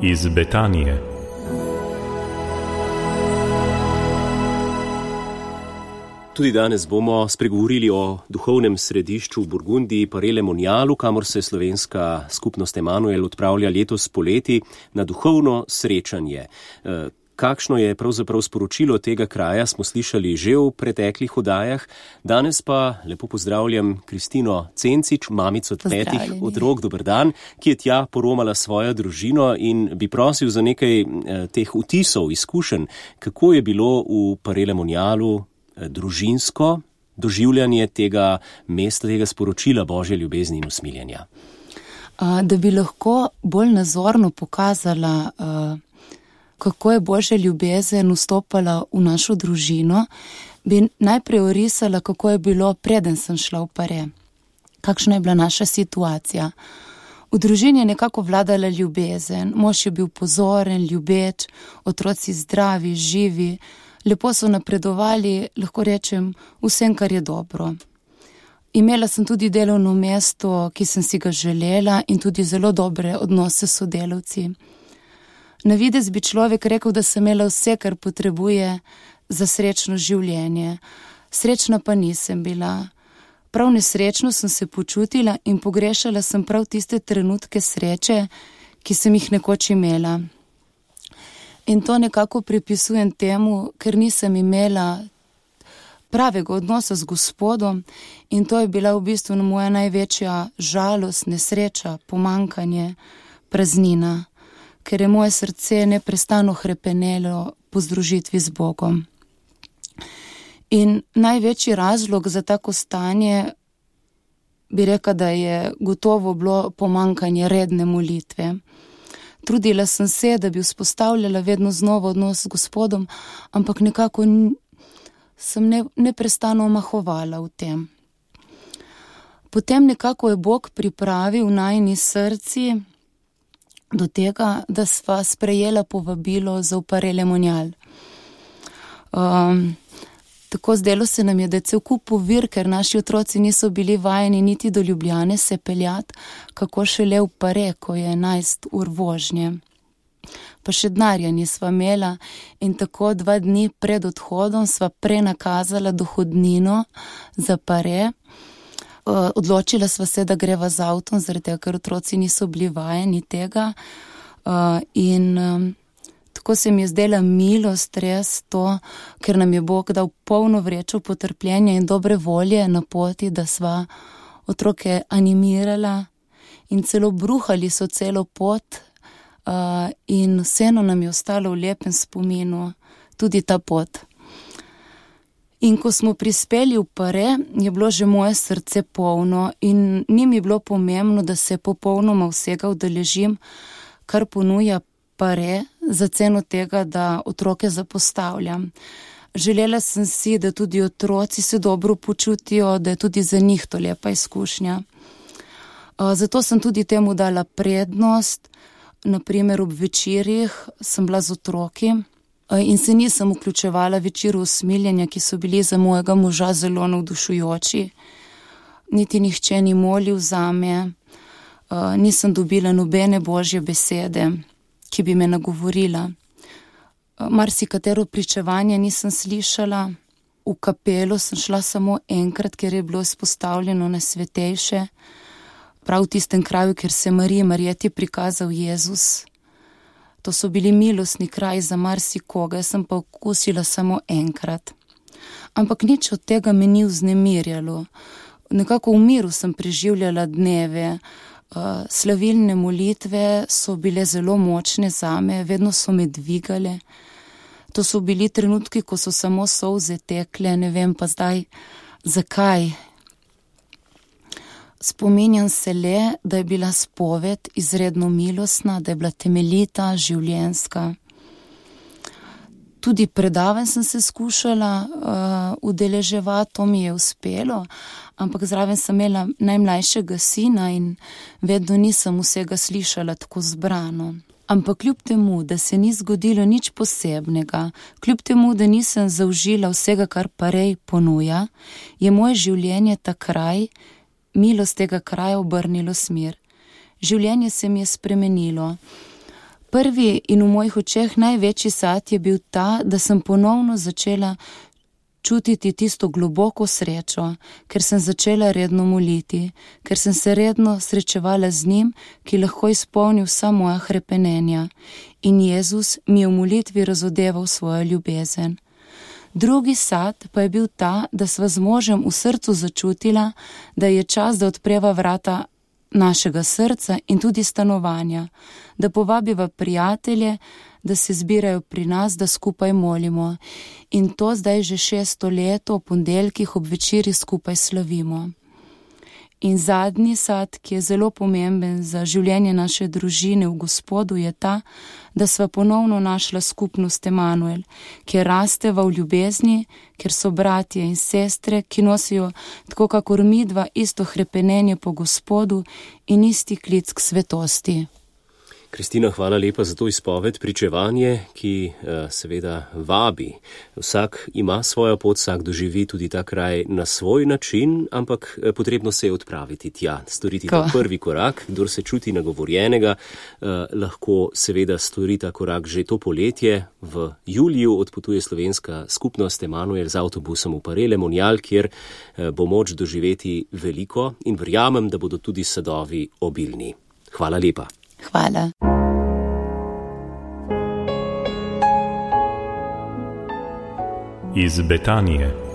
iz Betanije. Tudi danes bomo spregovorili o duhovnem središču v Burgundiji, Paray-le-Monialu, kamor se slovenska skupnost Emanuel odpravlja letos poleti na duhovno srečanje. Kakšno je pravzaprav sporočilo tega kraja, smo slišali že v preteklih oddajah. Danes pa lepo pozdravljam Kristino Cencič, mamico 5 otrok, dober dan, ki je tja poromala svojo družino, in bi prosil za nekaj teh vtisov, izkušenj, kako je bilo v Paray-le-Monialu družinsko doživljanje tega mesta, tega sporočila Božje ljubezni in usmiljenja. Da bi lahko bolj nazorno pokazala, kako je Božja ljubezen vstopala v našo družino, bi najprej orisala, kako je bilo, preden sem šla v Paray. Kakšna je bila naša situacija. V družini je nekako vladala ljubezen, mož je bil pozoren, ljubeč, otroci zdravi, živi, lepo so napredovali, lahko rečem, vsem, kar je dobro. Imela sem tudi delovno mesto, ki sem si ga želela, in tudi zelo dobre odnose s sodelavci. Na videz bi človek rekel, da sem imela vse, kar potrebuje za srečno življenje. Srečna pa nisem bila. Prav nesrečno sem se počutila in pogrešala sem prav tiste trenutke sreče, ki sem jih nekoč imela. In to nekako pripisujem temu, ker nisem imela pravega odnosa z Gospodom, in to je bila v bistvu moja največja žalost, nesreča, pomanjkanje, praznina, ker je moje srce neprestano hrepenelo po združitvi z Bogom. In največji razlog za tako stanje bi rekla, da je gotovo bilo pomanjkanje redne molitve. Trudila sem se, da bi vzpostavljala vedno znova odnos z Gospodom, ampak nekako sem neprestano omahovala v tem. Potem nekako je Bog pripravil najini srci do tega, da sva sprejela povabilo za v Paray-le-Monial. Tako zdelo se nam je, da je cel kup ovir, ker naši otroci niso bili vajeni niti do Ljubljane se peljati, kako šele v Paray, ko je 11 ur vožnje. Pa še denarja nisva imela, in tako 2 dni pred odhodom sva prenakazala dohodnino za Paray. Odločila sva se, da greva z avtom, zaradi tega, ker otroci niso bili vajeni tega. Tako se mi je zdela milost res to, ker nam je Bog dal polno vrečo potrpljenja in dobre volje na poti, da sva otroke animirala in celo bruhali so celo pot, in vseeno nam je ostalo v lepem spominu tudi ta pot. In ko smo prispeli v Paray, je bilo že moje srce polno in ni mi bilo pomembno, da se popolnoma vsega udeležim, kar ponuja Paray, za ceno tega, da otroke zapostavljam. Želela sem si, da tudi otroci se dobro počutijo, da je tudi za njih to lepa izkušnja. Zato sem tudi temu dala prednost, naprimer ob večerjih sem bila z otroki in se nisem vključevala večeru usmiljenja, ki so bili za mojega moža zelo navdušujoči. Niti nihče ni molil zame, nisem dobila nobene Božje besede, ki bi me nagovorila. Marsikatero pričevanje nisem slišala. V kapelo sem šla samo enkrat, ker je bilo izpostavljeno Najsvetejše, prav v tistem kraju, kjer se Marijeti prikazal Jezus. To so bili milostni kraji za marsikoga, jaz sem pa okusila samo enkrat. Ampak nič od tega me ni vznemirjalo. Nekako v miru sem preživljala dneve. Slavilne molitve so bile zelo močne zame, vedno so me dvigale. To so bili trenutki, ko so samo solze tekle, ne vem pa zdaj zakaj. Spominjam se le, da je bila spoved izredno milostna, da je bila temeljita, življenjska. Tudi predavanj sem se skušala udeleževati, to mi je uspelo, ampak zraven sem imela najmlajšega sina in vedno nisem vsega slišala tako zbrano. Ampak kljub temu, da se ni zgodilo nič posebnega, kljub temu, da nisem zaužila vsega, kar Paray ponuja, je moje življenje ta kraj, milost tega kraja obrnilo smer. Življenje se mi je spremenilo. Prvi in v mojih očeh največji sad je bil ta, da sem ponovno začela čutiti tisto globoko srečo, ker sem začela redno moliti, ker sem se redno srečevala z njim, ki lahko izpolni vsa moja hrepenenja. In Jezus mi je v molitvi razodeval svojo ljubezen. Drugi sad pa je bil ta, da sva z možem v srcu začutila, da je čas, da odpreva vrata našega srca in tudi stanovanja, da povabiva prijatelje, da se zbirajo pri nas, da skupaj molimo. In to zdaj že 6. leto, ob ponedeljkih ob večeri skupaj slavimo. In zadnji sad, ki je zelo pomemben za življenje naše družine v Gospodu, je ta, da sva ponovno našla skupnost Emanuel, kjer rasteva v ljubezni, ker so bratje in sestre, ki nosijo tako kakor midva isto hrepenenje po Gospodu in isti klic k svetosti. Kristina, hvala lepa za to izpoved, pričevanje, ki seveda vabi. Vsak ima svojo pot, vsak doživi tudi ta kraj na svoj način, ampak potrebno se je odpraviti tja, storiti ta prvi korak. Kdor se čuti nagovorjenega, lahko seveda stori ta korak že to poletje. V juliju odpotuje slovenska skupnost Emanuel z avtobusom v Parele Monjal, kjer bo moč doživeti veliko in verjamem, da bodo tudi sadovi obilni. Hvala lepa. Hvala. Iz Betanije.